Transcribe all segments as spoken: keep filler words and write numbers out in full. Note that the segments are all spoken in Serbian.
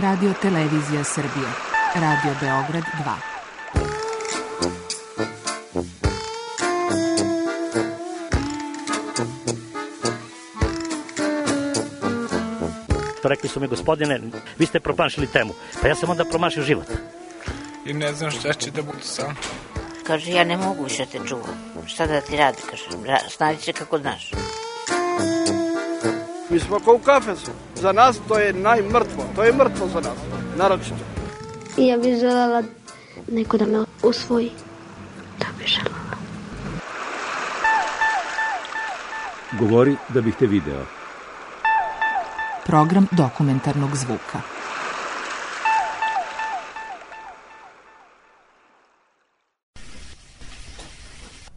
Radio Televizija Srbije, Radio Beograd dva. Rekli su mi, gospodine, vi ste promašili temu. Pa ja sam onda promašio život. I ne znam šta će da bude sam. Kaže, ja ne mogu više te čuvam. Šta da ti radi, kaže, snađi se kako znaš. Mi smo kao u kafesu. Za nas to je najmrtvo. To je mrtvo za nas, naročito. I ja bih želela neko da me usvoji. Da bih želela. Govori da bih te video. Program dokumentarnog zvuka.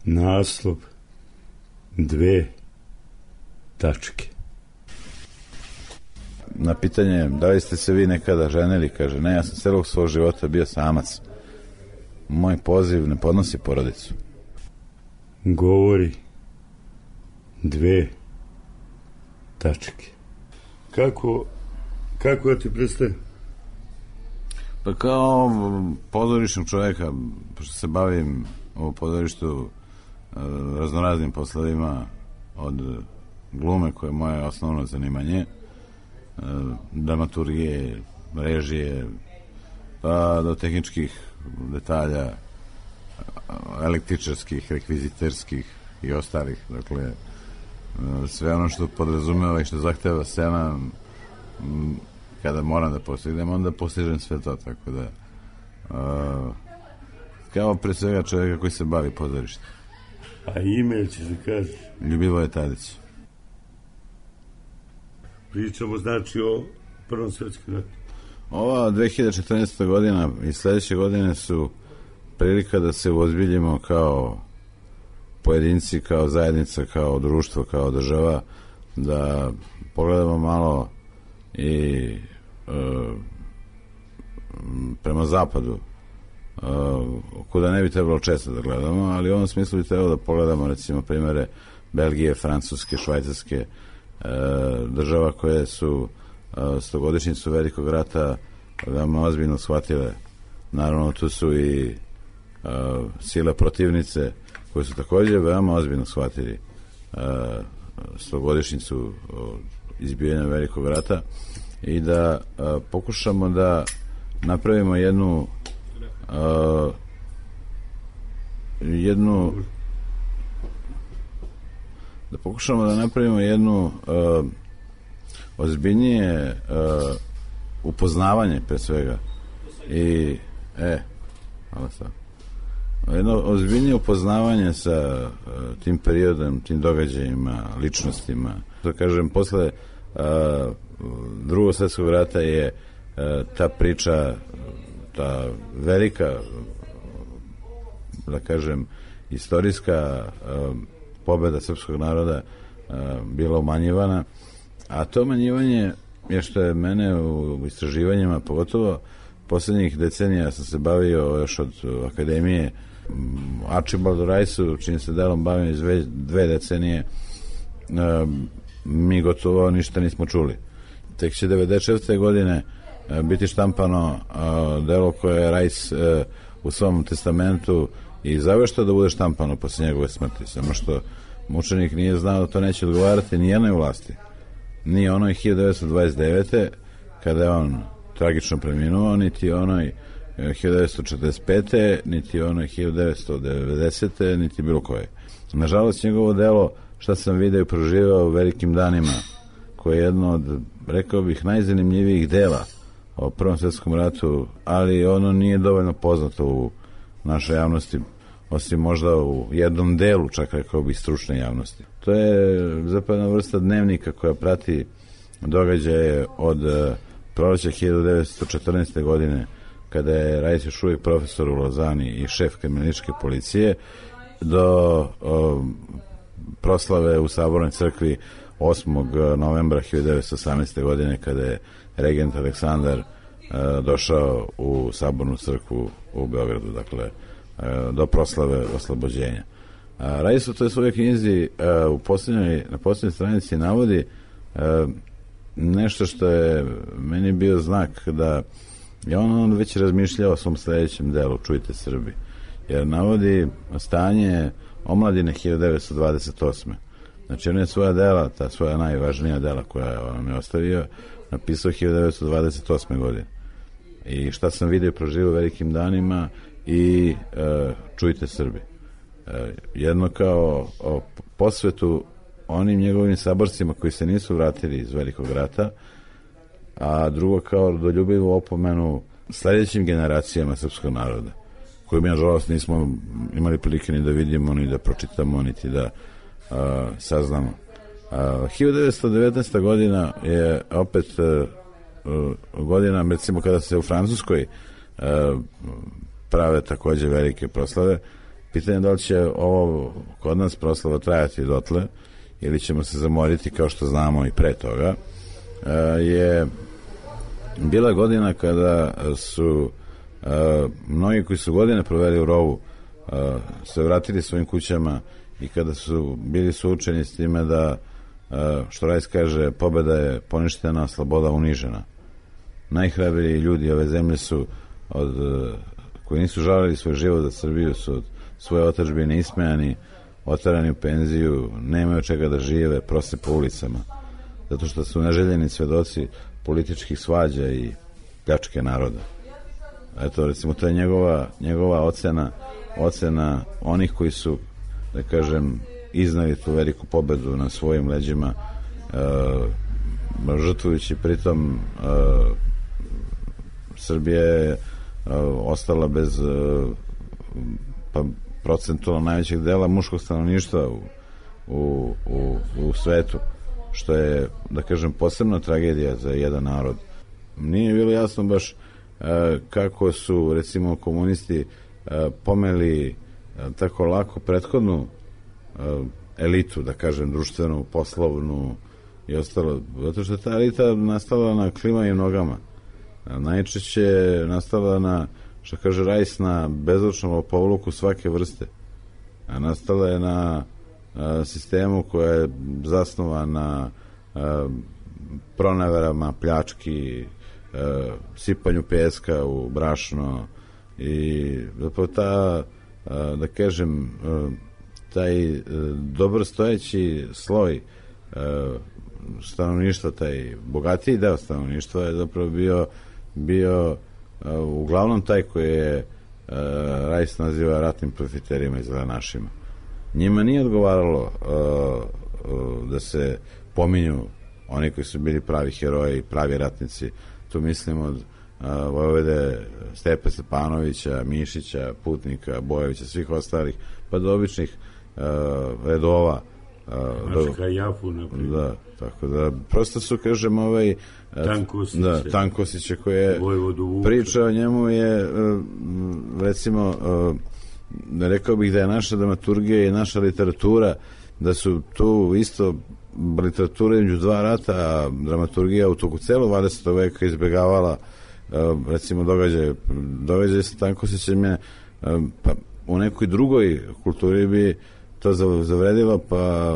Naslov dve tačke. Na pitanje da li ste se vi nekada ženili, kaže, ne, ja sam celog svog života bio samac. Moj poziv ne podnosi porodicu. Govori dve tačke. Kako, kako ja ti predstavim? Pa kao pozorišnog čovjeka, pošto se bavim u pozorištu raznoraznim poslovima, od glume koje je moje osnovno zanimanje, dramaturgije, režije, pa do tehničkih detalja, električarskih, rekviziterskih i ostalih. Dakle, sve ono što podrazumeva i što zahteva scena, kada moram da postignem, onda postižem sve to, tako da kao pre svega čovjeka koji se bavi pozorištem. A ime će se kaži? Ljubivoje Tadić. Pričamo znači o Prvom svjetskom ratu. Ova dve hiljade četrnaesta. godina i sledeće godine su prilika da se uozbiljimo kao pojedinci, kao zajednica, kao društvo, kao država, da pogledamo malo i e, prema zapadu, e, kuda ne bi trebalo često da gledamo, ali u ovom smislu bi trebalo da pogledamo recimo primere Belgije, Francuske, Švajcarske, e, država koje su e, stogodišnjicu velikog rata veoma ozbiljno shvatile. Naravno, tu su i e, sile protivnice koji su također veoma ozbiljno shvatili uh, stogodišnjicu izbijanja velikog rata i da uh, pokušamo da napravimo jednu uh, jednu da pokušamo da napravimo jednu uh, ozbiljnije uh, upoznavanje pre svega i e, hvala sad jedno ozbiljnije upoznavanje sa uh, tim periodom, tim događajima, ličnostima. Da kažem, posle uh, drugog svjetskog rata je uh, ta priča, ta velika, da kažem, istorijska uh, pobeda srpskog naroda uh, bila umanjivana, a to umanjivanje je što je mene u, u istraživanjima, pogotovo poslednjih decenija sam se bavio još od akademije Archibaldu Rajsu, čim se delom bavim iz dve, dve decenije, mi gotovo ništa nismo čuli. Tek će devedeset šeste. godine biti štampano delo koje je Rajs u svom testamentu i zaveštao da bude štampano posle njegove smrti, samo što mučenik nije znao da to neće odgovarati ni jednoj vlasti. Nije onoj hiljadu devetsto dvadeset devete. kada je on tragično preminuo, niti onoj hiljadu devetsto četrdeset pete. niti onoj hiljadu devetsto devedesete. niti bilo koje. Nažalost, njegovo delo, šta sam video i proživao u velikim danima, koje je jedno od, rekao bih, najzanimljivijih dela o Prvom svjetskom ratu, ali ono nije dovoljno poznato u našoj javnosti, osim možda u jednom delu, čak rekao bih, stručne javnosti. To je zapravo jedna vrsta dnevnika koja prati događaje od proleća hiljadu devetsto četrnaeste. godine, kada je Rajs još uvijek profesor u Lozani i šef kriminalističke policije, do o, proslave u Sabornoj crkvi osmog novembra hiljadu devetsto osamnaeste. godine, kada je regent Aleksandar e, došao u Sabornu crkvu u Beogradu, dakle, e, do proslave oslobođenja. Rajs u toj svojoj knjizi e, u posljednjoj, na posljednjoj stranici navodi e, nešto što je meni bio znak da je on, on već razmišljao o svom sledećem delu Čujte Srbi, jer navodi stanje omladine hiljadu devetsto dvadeset osme. Znači on je svoja dela, ta svoja najvažnija dela koja on je ostavio, napisao hiljadu devetsto dvadeset osme godine. I šta sam vidio i proživio u velikim danima i e, Čujte Srbi. E, jedno kao o posvetu onim njegovim saborcima koji se nisu vratili iz Velikog rata, a drugo kao rodoljubivu opomenu sledećim generacijama srpskog naroda, koju mi, nažalost, nismo imali prilike ni da vidimo, ni da pročitamo, niti da a, saznamo. A, hiljadu devetsto devetnaesta. godina je opet a, a, godina, recimo, kada se u Francuskoj a, prave takođe velike proslave. Pitanje je da li će ovo kod nas proslava trajati dotle, ili ćemo se zamoriti kao što znamo i pre toga. A, je bila godina kada su Uh, mnogi koji su godine proveli u rovu uh, se vratili svojim kućama i kada su bili suočeni s time da, uh, što Rajs kaže, pobeda je poništena, sloboda unižena. Najhrabriji ljudi ove zemlje su od, uh, koji nisu žalili svoj život za Srbiju, su od svoje otadžbine ismejani, otarani u penziju, nemaju čega da žive, prose po ulicama, zato što su neželjeni svedoci političkih svađa i pljačke naroda. Eto, recimo, to je njegova, njegova ocena, ocena onih koji su, da kažem, iznali tu veliku pobedu na svojim leđima, e, žrtvujući pritom e, Srbija je e, ostala bez e, pa, procentualno najvećeg dela muškog stanovništva u, u, u, u svetu, što je, da kažem, posebna tragedija za jedan narod. Nije bilo jasno baš kako su, recimo, komunisti pomeli tako lako prethodnu elitu, da kažem, društvenu, poslovnu i ostalo, zato što ta elita nastala na klimavim nogama. Najčešće nastala na, što kaže Rajs, na bezlučnom lopovluku svake vrste. A nastala je na sistemu koja je zasnovan na proneverama, pljački, Uh, sipanju peska u brašno i zapravo ta, uh, da kažem, uh, taj uh, dobrostojeći sloj uh, stanovništva, taj bogatiji deo stanovništva je zapravo bio, bio uh, uglavnom taj koji je uh, Rajs naziva ratnim profiterima i zelenašima. Njima nije odgovaralo uh, uh, da se pominju oni koji su bili pravi heroji, pravi ratnici. Tu mislim od uh, Vojvode Stepe Stepanovića, Mišića, Putnika, Bojevića, svih ostalih, pa do običnih uh, redova. Uh, Mačka Jafu, naprijed. Da, tako da, prosto su, kažem, ovaj... Tankosiće. Da, Tankosiće koje Vojvodu priča o njemu je, uh, recimo, uh, rekao bih da je naša dramaturgija i naša literatura, da su tu isto literatura između dva rata, a dramaturgija u toku celog dvadesetog veka izbegavala recimo događaje događaje sa Tankosićem je, pa u nekoj drugoj kulturi bi to zavredilo, pa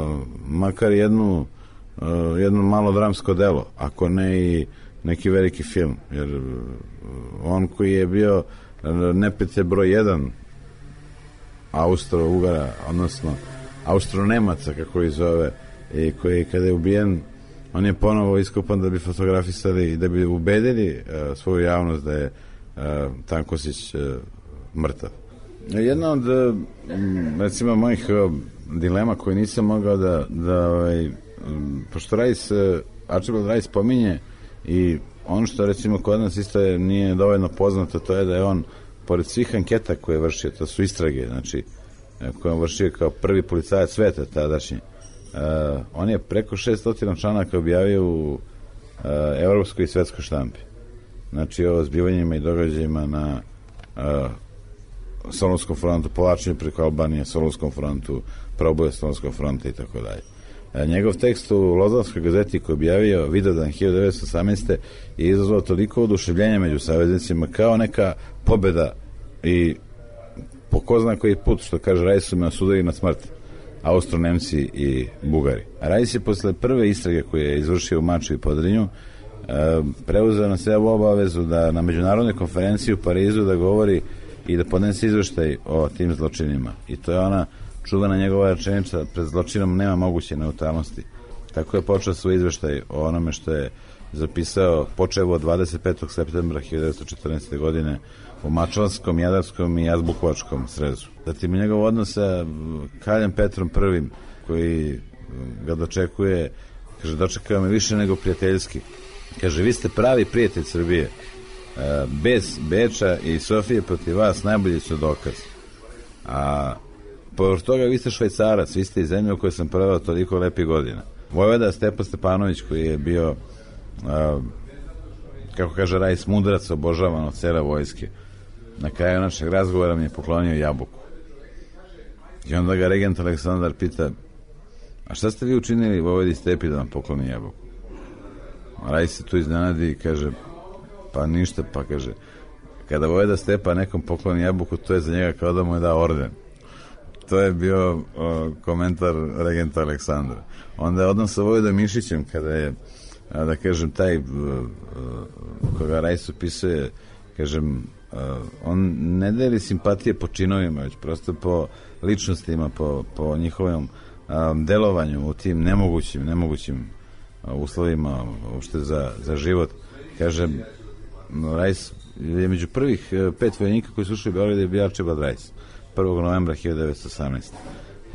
makar jednu jedno malo dramsko delo, ako ne i neki veliki film, jer on koji je bio neprijatelj broj jedan Austro-Ugara, odnosno Austro-Nemaca, kako ih zove, i koji kada je ubijen, on je ponovo iskopan da bi fotografisali i da bi ubedili uh, svoju javnost da je uh, Tankosić uh, mrtav. Jedna od uh, recimo mojih uh, dilema koje nisam mogao da, da ovaj, um, pošto Rajs, uh, Archibald Rajs pominje i ono što recimo kod nas isto je, nije dovoljno poznato, to je da je on, pored svih anketa koje je vršio, to su istrage, znači koje on vršio kao prvi policajac sveta tadašnji, Uh, on je preko šeststo članaka objavio u uh, evropskoj i svetskoj štampi. Znači o zbivanjima i događajima na uh, Solunskom frontu, povlačenju preko Albanije, Solunskom frontu, proboje Solunskog fronta i tako dalje. Uh, njegov tekst u Lozanskoj gazeti koji je objavio Vidovdan hiljadu devetsto osamnaeste. je izazvao toliko oduševljenja među saveznicima kao neka pobeda i po ko zna koji put, što kaže Rajs, su me osudili na smrt. Austro-Nemci i Bugari. Rajs je posle prve istrage koje je izvršio u Mačvi i Podrinju preuzeo na sebe obavezu da na međunarodnoj konferenciji u Parizu da govori i da podnese izveštaj o tim zločinima. I to je ona čuvena njegova rečenica: pred zločinom nema moguće neutralnosti. Tako je počeo svoj izveštaj o onome što je zapisao počevo od dvadeset petog septembra hiljadu devetsto četrnaeste. godine u Mačvanskom, Jadarskom i Azbukovačkom srezu. Zatim njegov odnos sa kraljem Petrom prvim, koji ga dočekuje, kaže, dočekao me više nego prijateljski. Kaže, vi ste pravi prijatelj Srbije. Bez Beča i Sofije protiv vas najbolji su dokaz. A povrh toga vi ste Švajcarac, vi ste iz zemlje u kojoj sam proveo toliko lepih godina. Vojvoda Stepa Stepanović, koji je bio, a, kako kaže Rajs, mudrac, obožavan od cele vojske, na kraju našeg razgovora mi je poklonio jabuku. I onda ga regent Aleksandar pita: a šta ste vi učinili Vojvodi Stepi da vam pokloni jabuku? Rajs se tu iznenadi i kaže: pa ništa. Pa kaže, kada Vojvoda Stepa nekom pokloni jabuku, to je za njega kao da mu je dao orden. To je bio uh, komentar regenta Aleksandra. Onda je odnos sa Vojvodom Mišićem, kada je, uh, da kažem, taj uh, uh, koga Rajs opisuje, kažem, uh, on ne deli simpatije po činovima, već prosto po ličnostima, po, po njihovom um, delovanju u tim nemogućim, nemogućim uh, uslovima uopšte za, za život. Kažem, Rajs je među prvih uh, pet vojnika koji su ušli u Beograd je bio Arčibald Rajs, prvog novembra hiljadu devetsto osamnaeste.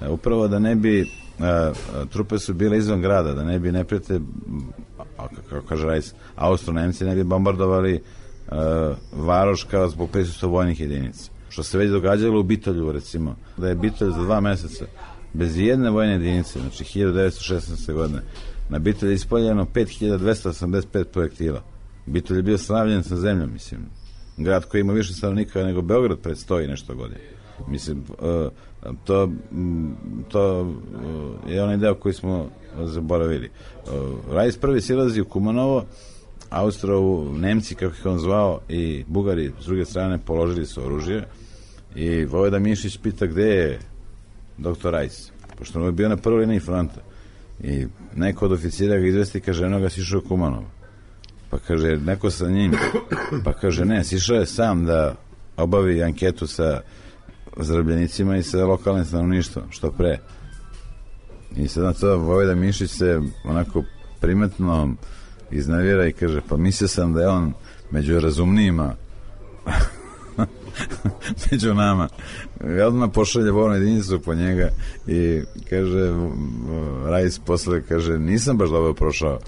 Upravo da ne bi a, a, trupe su bile izvan grada, da ne bi neprijatelj, kako kaže Rajs, Austro-Nemci ne bi bombardovali a, Varoš kao zbog prisustva vojnih jedinica. Što se već događalo u Bitolju, recimo, da je Bitolj za dva meseca bez jedne vojne jedinice, znači hiljadu devetsto šesnaeste. godine, na Bitolj je ispoljeno pet hiljada dvesta osamdeset pet projektila. Bitolj je bio sravljen sa zemljom, mislim. Grad koji ima više stanovnika nego Beograd pred sto i nešto godine. Mislim, to, to je onaj deo koji smo zaboravili. Rajs prvi silazi u Kumanovo, Austro, Nemci, kako ih on zvao, i Bugari s druge strane položili su oružje i Vojvoda Mišić pita gde je doktor Rajs, pošto on je bio na prvoj liniji fronta i neko od oficira ga izvesti, kaže, eno ga sišao u Kumanovo. Pa kaže, neko sa njim, pa kaže, ne, sišao je sam da obavi anketu sa zarobljenicima i sa lokalnim stanovništvom, što pre. I sad na to Vojvoda Mišić se onako primetno iznavira i kaže, pa mislio sam da je on među razumnijima među nama. I odmah pošalje vojnu jedinicu po njega i kaže, Rajs posle kaže, nisam baš dobro prošao,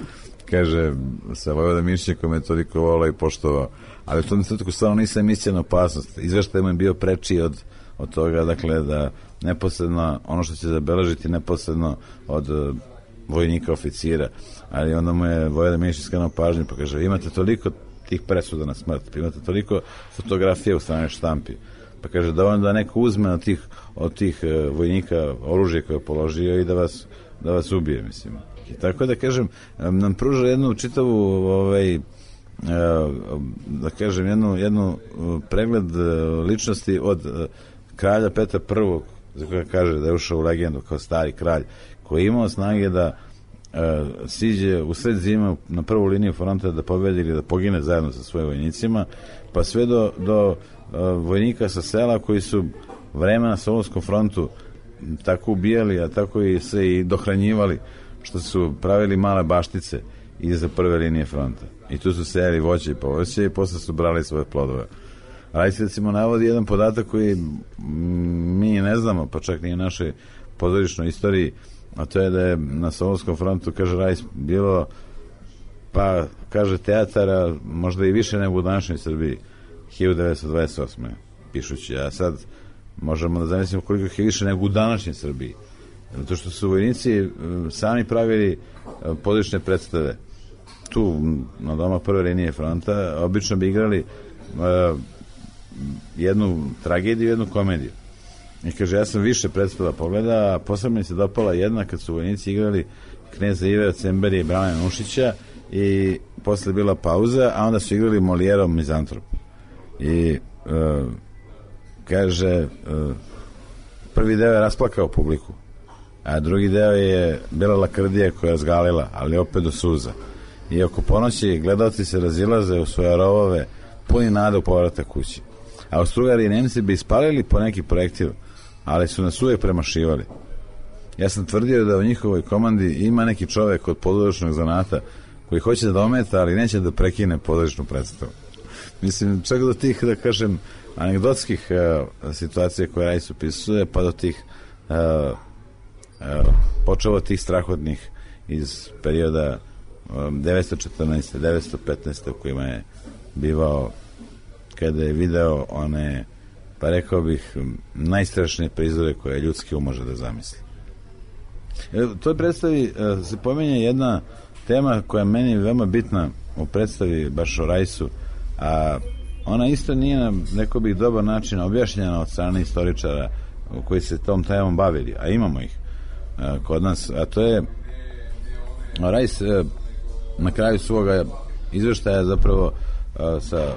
kaže, sa Vojvoda Mišićem koji me toliko volao i poštovao, ali u tom trenutku stvarno nisam mislio na opasnost. Izveštaj mu je bio prečiji od od toga, dakle, da neposredno ono što će zabeležiti neposredno od uh, vojnika, oficira, ali onda mu je Vojvoda Mišić skrenuo pažnju, pa kaže, imate toliko tih presuda na smrt, imate toliko fotografija u stranoj štampi, pa kaže, da on da neko uzme od tih, od tih uh, vojnika oružje koje je položio i da vas, da vas ubije, mislim. I tako da kažem, nam pruža jednu čitavu ovaj, da kažem, jednu, jednu pregled ličnosti od kralja Petra prvog, za koja kaže da je ušao u legendu kao stari kralj, koji je imao snage da uh, siđe u sred zime na prvu liniju fronta da pobedi ili da pogine zajedno sa svojim vojnicima, pa sve do, do uh, vojnika sa sela koji su vreme na Solunskom frontu tako ubijali, a tako i se i dohranjivali, što su pravili male baštice iza prve linije fronta. I tu su sejali voće i povrće i posle su brali svoje plodove. Rajs recimo navodi jedan podatak koji mi ne znamo, pa čak ni u našoj pozorišnoj istoriji, a to je da je na Solunskom frontu, kaže Rajs, bilo, pa kaže, teatara možda i više nego u današnjoj Srbiji, hiljadu devetsto dvadeset osme. pišući, a sad možemo da zamislimo koliko je više nego u današnjoj Srbiji. Zato što su vojnici sami pravili pozorišne predstave. Tu, na doma prve linije fronta, obično bi igrali uh, jednu tragediju, jednu komediju. I kaže, ja sam više predstava pogleda, a posebno mi se dopala jedna kad su vojnici igrali Kneza Ive Cemberija i Brane Nušića i posle bila pauza, a onda su igrali Molijerov Mizantrop. I uh, kaže, uh, prvi deo je rasplakao publiku. A drugi deo je bila lakrdija koja je razgalila, ali opet do suza. I oko ponoći gledalci se razilaze u svoje rovove, puni nade u povratak kući. Austro-Ugari i Nemci bi ispalili po neki projektil, ali su nas uvijek premašivali. Ja sam tvrdio da u njihovoj komandi ima neki čovek od pozorišnog zanata koji hoće da ometa, ali neće da prekine pozorišnu predstavu. Mislim, čak do tih, da kažem, anegdotskih uh, situacija koje Rajs opisuje, pa do tih uh, uh, počeo od tih strahodnih iz perioda um, devetsto četrnaeste. devetsto petnaeste. u kojima je bivao kada je video one, pa rekao bih, najstrašnije prizore koje ljudski um može da zamisli. U toj predstavi uh, se pominje jedna tema koja je meni veoma bitna u predstavi baš o Rajsu, a ona isto nije na neko bih dobar način objašnjena od strane istoričara koji se tom temom bavili, a imamo ih uh, kod nas, a to je Rajs uh, na kraju svoga izveštaja zapravo uh, sa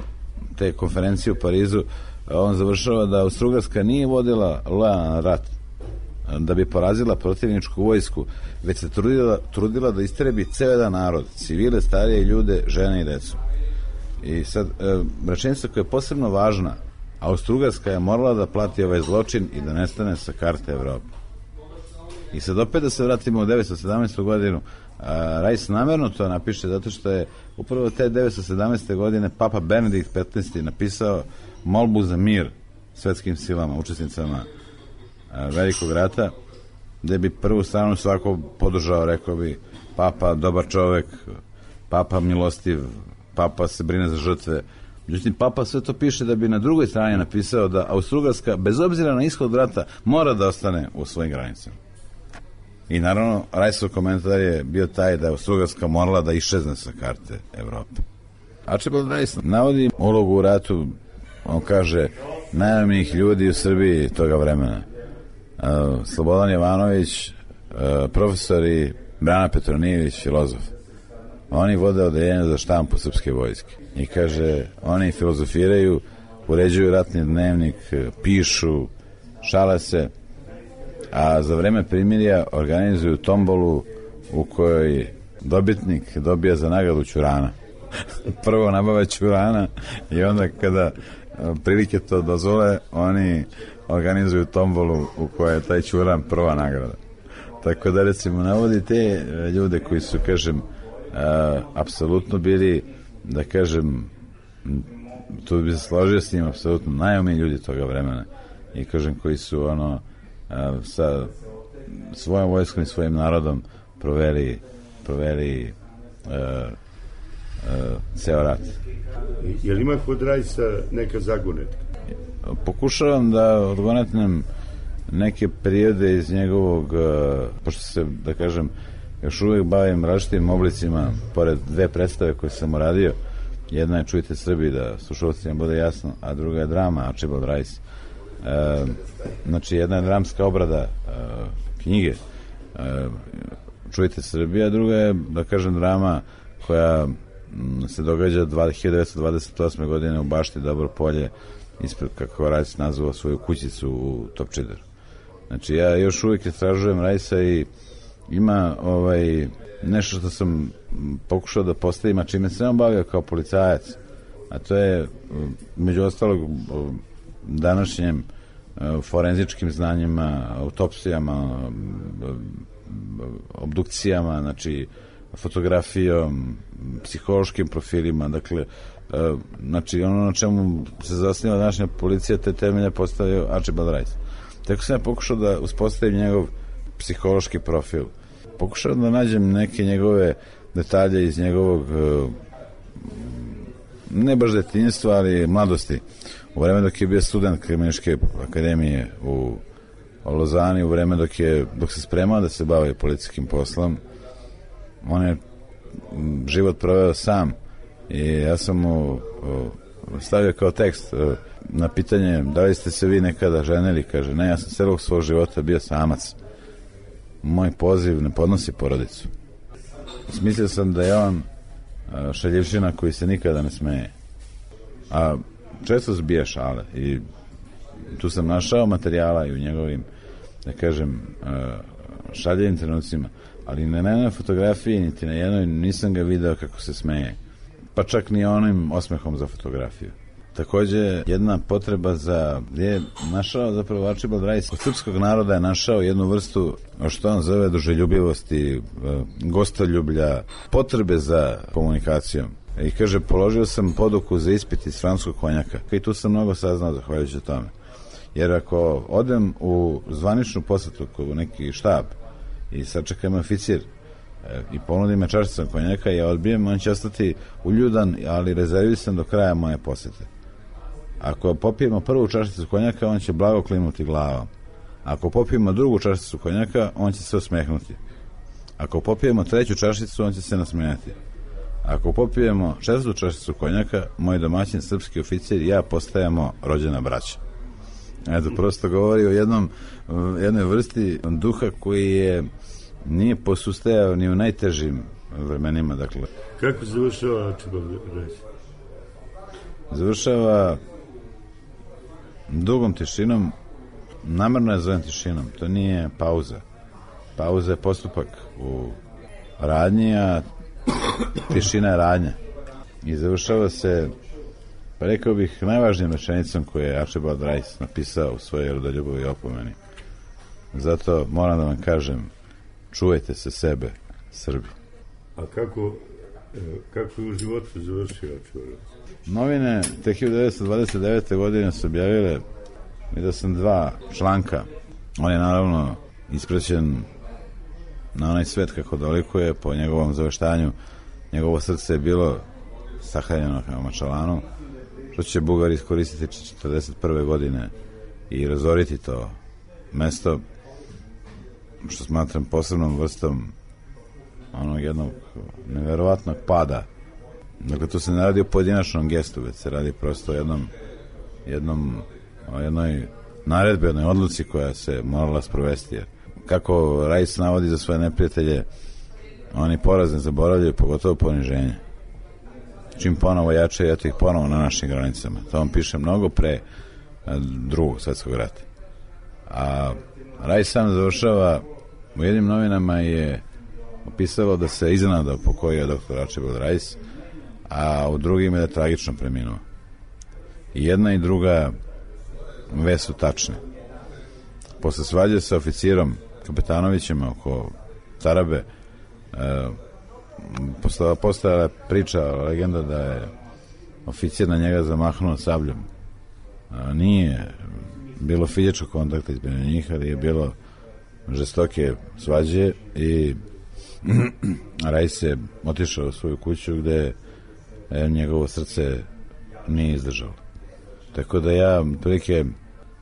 te konferencije u Parizu, uh, on završava da Austro-Ugarska nije vodila lojalan rat da bi porazila protivničku vojsku, već se trudila, trudila da istrebi ceo jedan narod, civile, starije ljude, žene i decu. I sad, e, rečenica koja je posebno važna, Austro-Ugarska je morala da plati ovaj zločin i da nestane sa karte Evrope. I sad opet da se vratimo u devetsto sedamnaestu. godinu, a, Rajs namerno to napiše zato što je upravo te devetsto sedamnaeste. godine Papa Benedikt petnaesti. napisao molbu za mir svetskim silama, učesnicama a, velikog rata, gde bi prvu stranu svako podržao, rekao bi Papa dobar čovek, Papa milostiv, Papa se brine za žrtve. Međutim, Papa sve to piše da bi na drugoj strani napisao da Austro-Ugarska, bez obzira na ishod rata, mora da ostane u svojim granicama. I naravno, Rajsov komentar je bio taj da je Austro-Ugarska morala da iščezne sa karte Evrope. Archibald Rajs navodi ulogu u ratu, on kaže, najamnijih ljudi u Srbiji toga vremena. Uh, Slobodan Jovanović, uh, profesori, Brana Petronijević, filozof. Oni vode odeljenje za štampu srpske vojske. I kaže, oni filozofiraju, uređuju ratni dnevnik, pišu, šale se, a za vreme primirja organizuju tombolu u kojoj dobitnik dobija za nagradu ćurana. Prvo nabave ćurana i onda kada prilike to dozvole, oni organizuju tombolu u kojoj je taj ćuran prva nagrada. Tako da, recimo, navodi te ljude koji su, kažem, Uh, apsolutno bili, da kažem, tu bi se složio s njim, apsolutno najumniji ljudi toga vremena i, kažem, koji su ono uh, sa svojom vojskom i svojim narodom proveli proveli uh, uh, ceo rat. Je li ima kod Rajsa neka zagonetka? Pokušavam da odgonetnem neke periode iz njegovog, uh, pošto se, da kažem, još uvijek bavim različitim oblicima, pored dve predstave koje sam uradio. Jedna je Čujte Srbi, da slušalcima bude jasno, a druga je drama Archibald Rajs. E, znači, jedna je dramska obrada e, knjige e, Čujte Srbi, a druga je, da kažem, drama koja m, se događa hiljadu devetsto dvadeset osme. godine u bašti Dobro polje, ispred, kako Rajs nazvao svoju kućicu u Topčideru. Znači, ja još uvijek istražujem Rajsa i ima ovaj, nešto što sam pokušao da postavim, a čime se on bavio kao policajac, a to je, među ostalog, današnjem forenzičkim znanjima, autopsijama, obdukcijama, znači fotografijom, psihološkim profilima, dakle, znači ono na čemu se zasniva današnja policija, te temelje postavio Archibald Rajs. Tako sam ja pokušao da uspostavim njegov psihološki profil. Pokušao da nađem neke njegove detalje iz njegovog, ne baš detinjstva, ali mladosti. U vreme dok je bio student Kriminalističke akademije u Lozani, u vreme dok je dok se spremao da se bavi policijskim poslom, on je život proveo sam i ja sam mu stavio kao tekst na pitanje da li ste se vi nekada ženili, kaže, ne, ja sam celog svog života bio samac. Moj poziv ne podnosi porodicu. Smislio sam da je on šaljivšina koji se nikada ne smeje. A često zbija šale i tu sam našao materijala i u njegovim, da kažem, šaljivim trenucima, ali na jednoj fotografiji, niti na jednoj nisam ga video kako se smeje. Pa čak ni onim osmehom za fotografiju. Takođe, jedna potreba za, je našao zapravo Archibald Rice, od srpskog naroda je našao jednu vrstu, što on zove, duželjubivosti, gostoljublja, potrebe za komunikacijom. I kaže, položio sam poduku za ispit iz francuskog konjaka. I tu sam mnogo saznao zahvaljujući tome. Jer ako odem u zvaničnu posetu u neki štab i sačekam oficir i ponudi me čašicom konjaka, ja odbijem, on će ostati uljudan, ali rezervisan do kraja moje posete. Ako popijemo prvu čašicu konjaka, on će blago klimnuti glavom. Ako popijemo drugu čašicu konjaka, on će se osmehnuti. Ako popijemo treću čašicu, on će se nasmejati. Ako popijemo četvrtu čašicu konjaka, moj domaćin srpski oficir i ja postajemo rođena braća. Eto, prosto govori o jednom, jednoj vrsti duha koji je nije posustajao ni u najtežim vremenima. Dakle. Kako završava Archibald Rice? Završava dugom tišinom, namerno je zovem tišinom, to nije pauza. Pauza je postupak u radnji, a tišina je radnja. I završava se, pa rekao bih, najvažnijim rečenicom koju je Archibald Rice napisao u svojoj rodoljubovi opomeni. Zato moram da vam kažem, čuvajte se sebe, Srbi. A kako, kako je u životu završio Archibald Rice? Novine te hiljadu devetsto dvadeset devete. godine su objavile, vidio sam dva članka. On je naravno ispraćen na onaj svet kako dolikuje, po njegovom zaveštanju. Njegovo srce je bilo sahranjeno kao Mačalanu, što će Bugari iskoristiti četrdeset prve. godine i razoriti to mesto, što smatram posebnom vrstom onog jednog neverovatnog pada. Dakle, tu se ne radi o pojedinačnom gestu, već se radi prosto o jednom, jednom, o jednoj naredbi, jednoj odluci koja se morala sprovesti. Jer kako Rice navodi za svoje neprijatelje, oni poraz ne zaboravljaju, pogotovo poniženje. Čim ponovo jače, eto ih ponovo na našim granicama. To vam piše mnogo pre drugog svetskog rata. A Rice sam završava, u jednim novinama je opisalo da se iznenada pokojio doktor Archibald Rice, a u drugim je da tragično preminuo. I jedna i druga vest su tačne. Posle svađe sa oficirom Kapetanovićem oko Tarabe, e, postojala je priča, legenda da je oficir na njega zamahnuo sabljom. E, nije bilo fizičkog kontakta između njih, ali je bilo žestoke svađe i Rice je otišao u svoju kuću gde e, njegovo srce nije izdržalo. Tako da ja prilike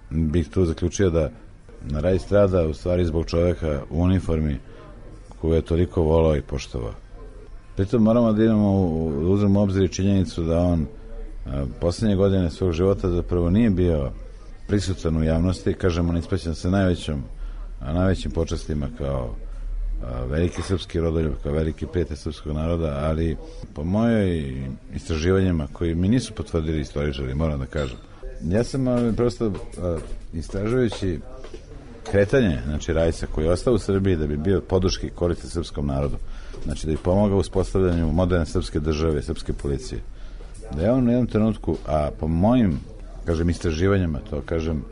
bih tu zaključio da Rice strada u stvari zbog čoveka u uniformi koju je toliko volao i poštovao. Pritom moramo da imamo u, uzmemo u obzir i činjenicu da on a, poslednje godine svog života zapravo nije bio prisutan u javnosti, kažemo, ne ispraćan sa najvećom, a najvećim počastima kao a, veliki srpski rodoljub, kao veliki prijatelj srpskog naroda, ali po mojoj istraživanjima koji mi nisu potvrdili istoričari, moram da kažem. Ja sam ali, prosto a, istražujući kretanje, znači Rajsa, koji je ostao u Srbiji da bi bio podrški koristan srpskom narodu, znači da bi pomogao u uspostavljanju moderne srpske države, srpske policije. Da je on u jednom trenutku, a po mojim, kažem, istraživanjima, to kažem,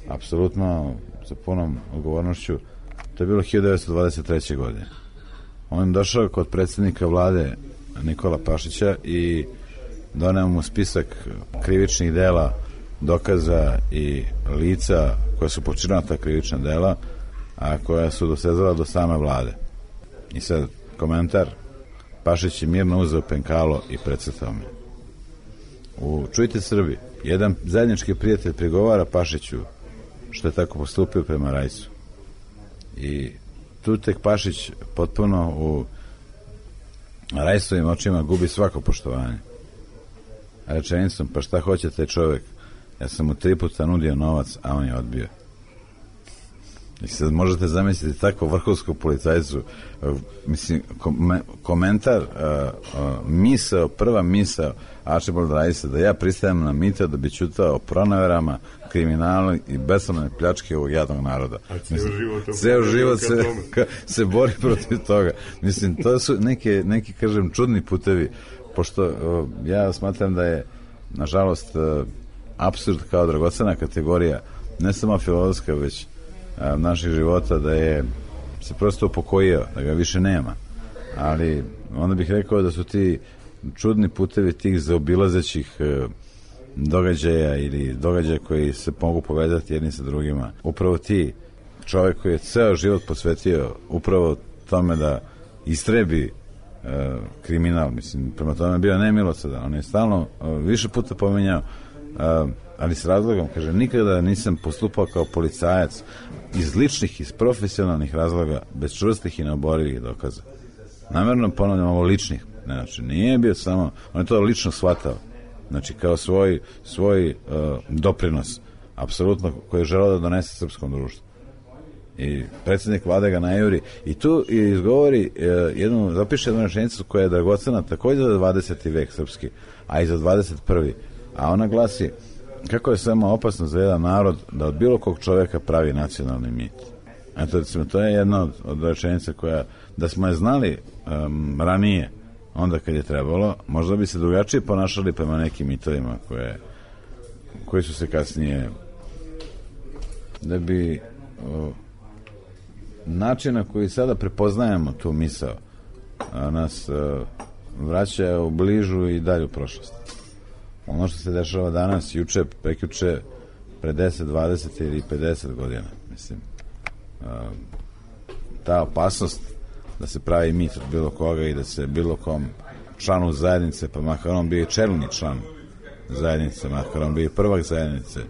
apsolutno sa punom odgovornošću, to je bilo hiljadu devetsto dvadeset treće. godine. On je došao kod predsjednika vlade Nikola Pašića i doneo mu spisak krivičnih dela, dokaza i lica koja su počinila ta krivična dela, a koja su dosezala do same vlade. I sad komentar: Pašić je mirno uzeo penkalo i precrtao me. U Čujte Srbi, jedan zajednički prijatelj prigovara Pašiću što je tako postupio prema Rajsu. I tu tek Pašić potpuno u Rajsovim očima gubi svako poštovanje. A rečenicom: pa šta hoće taj čovek? Ja sam mu tri puta nudio novac, a on je odbio. I sad možete zamisliti tako vrhovsku policajcu, mislim, komentar, misao, prva misao Archibald Rice da ja pristajem na mito da bi ćutao o pronaverama, kriminalu i besramnoj pljačke ovog jadnog naroda. A ceo život, ceo život se, ka, se bori protiv toga. Mislim, to su neke, neki, kažem, čudni putevi, pošto ja smatram da je, nažalost, apsurd kao dragocena kategorija, ne samo filozofska, već naših života, da je se prosto upokojio, da ga više nema. Ali onda bih rekao da su ti čudni putevi tih zaobilazećih događaja ili događaja koji se mogu povezati jedni sa drugima. Upravo ti, čovjek koji je ceo život posvetio upravo tome da istrebi e, kriminal, mislim, prema tome je bio nemilosredan. On je stalno e, više puta pominjao, e, ali s razlogom, kaže, nikada nisam postupao kao policajac iz ličnih, iz profesionalnih razloga, bez čvrstih i neoborivih dokaza. Namerno ponavljam ovo ličnih, znači nije bio samo, on je to lično shvatao, znači kao svoj, svoj uh, doprinos, apsolutno, koji je želeo da donese srpskom društvu. I predsjednik vlade ga najuri i tu izgovori uh, jednu, zapiše jednu rečenicu koja je dragocena također za dvadeseti vek srpski, a i za dvadeset prvi. A ona glasi, kako je samo opasno za jedan narod da od bilo kog čovjeka pravi nacionalni mit. Eto, recimo, to je jedna od, od rečenica koja, da smo je znali um, ranije, onda kad je trebalo, možda bi se drugačije ponašali prema nekim mitovima koje, koji su se kasnije, da bi o, način na koji sada prepoznajemo tu misao a, nas a, vraća u bližu i dalju prošlost. Ono što se dešava danas, juče, prekjuče, pre deset, dvadeset ili pedeset godina, mislim, a, ta opasnost da se pravi mit od bilo koga i da se bilo kom članu zajednice, pa makar on bio i čelni član zajednice, makar on bio i prvak zajednice,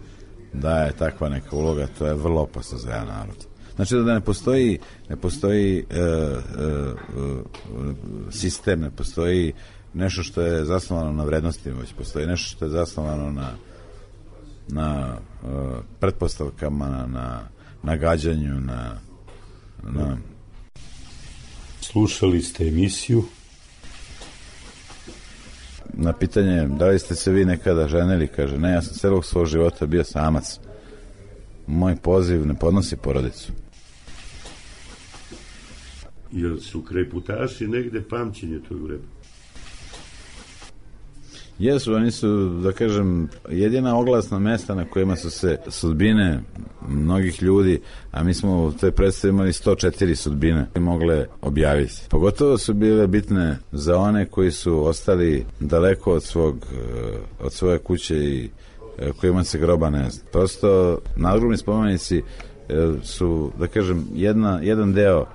da je takva neka uloga, to je vrlo opasno za jedan narod. Znači da ne postoji, ne postoji e, e, sistem, ne postoji nešto što je zasnovano na vrednostima, već postoji nešto što je zasnovano na, na e, pretpostavkama, na, na, na gađanju, na, na... Slušali ste emisiju? Na pitanje da li ste se vi nekada ženili, kaže, ne, ja sam celog svog života bio samac. Moj poziv ne podnosi porodicu. Jer su kreputaši negde pamćenje tog vremena? Jesu, oni su, da kažem, jedina oglasna mesta na kojima su se sudbine mnogih ljudi, a mi smo u toj predstavi imali sto četiri sudbine mogle objaviti. Pogotovo su bile bitne za one koji su ostali daleko od svog, od svoje kuće i kojima se groba ne zna. Prosto nadgrobni spomenici su, da kažem, jedna, jedan deo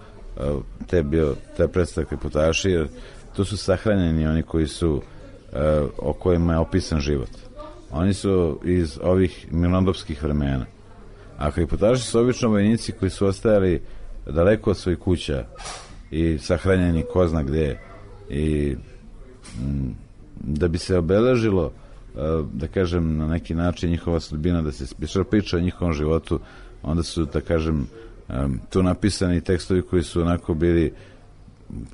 te, bio, te predstave kreputaši, jer tu su sahranjeni oni koji su o kojima je opisan život. Oni su iz ovih mirnodopskih vremena. A kreputaši su obično vojnici koji su ostajali daleko od svojih kuća i sahranjeni ko zna gde. I m, da bi se obeležilo, da kažem, na neki način njihova sudbina, da se više priča o njihovom životu, onda su, da kažem, tu napisani tekstovi koji su onako bili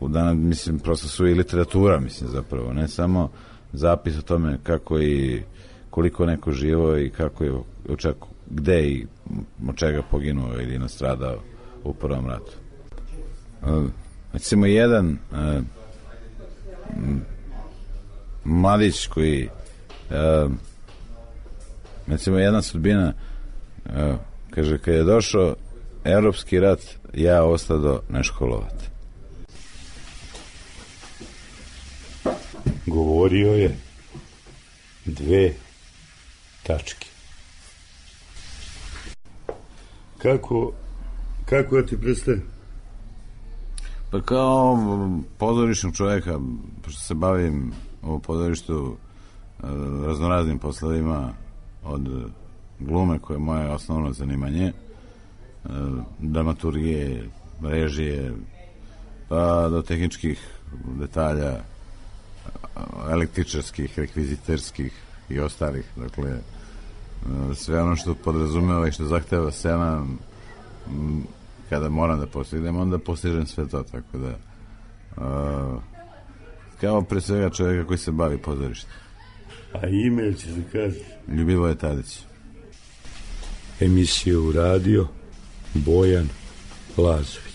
u dana, mislim, prosto su i literatura, mislim, zapravo, ne samo zapis o tome kako i koliko neko živo i kako je čak, gde i od čega poginuo ili nastradao u prvom ratu. Recimo, jedan mladić koji recimo, jedna sudbina, kaže, kad je došao Evropski rat, ja ostado neškolovat. Govorio je dve tačke. Kako, kako ja ti predstavim? Pa kao pozorišnog čovjeka, pošto se bavim u pozorištu raznoraznim poslovima, od glume koje je moje osnovno zanimanje, dramaturgije, režije, pa do tehničkih detalja, električarskih, rekviziterskih i ostalih. Dakle, sve ono što podrazumeva i što zahteva scena kada moram da postignem, onda postižem sve to, tako da uh, kao pre svega čovjeka koji se bavi pozorištem. A ime će se kaži? Ljubivoje Tadić. Emisiju radio Bojan Lazović.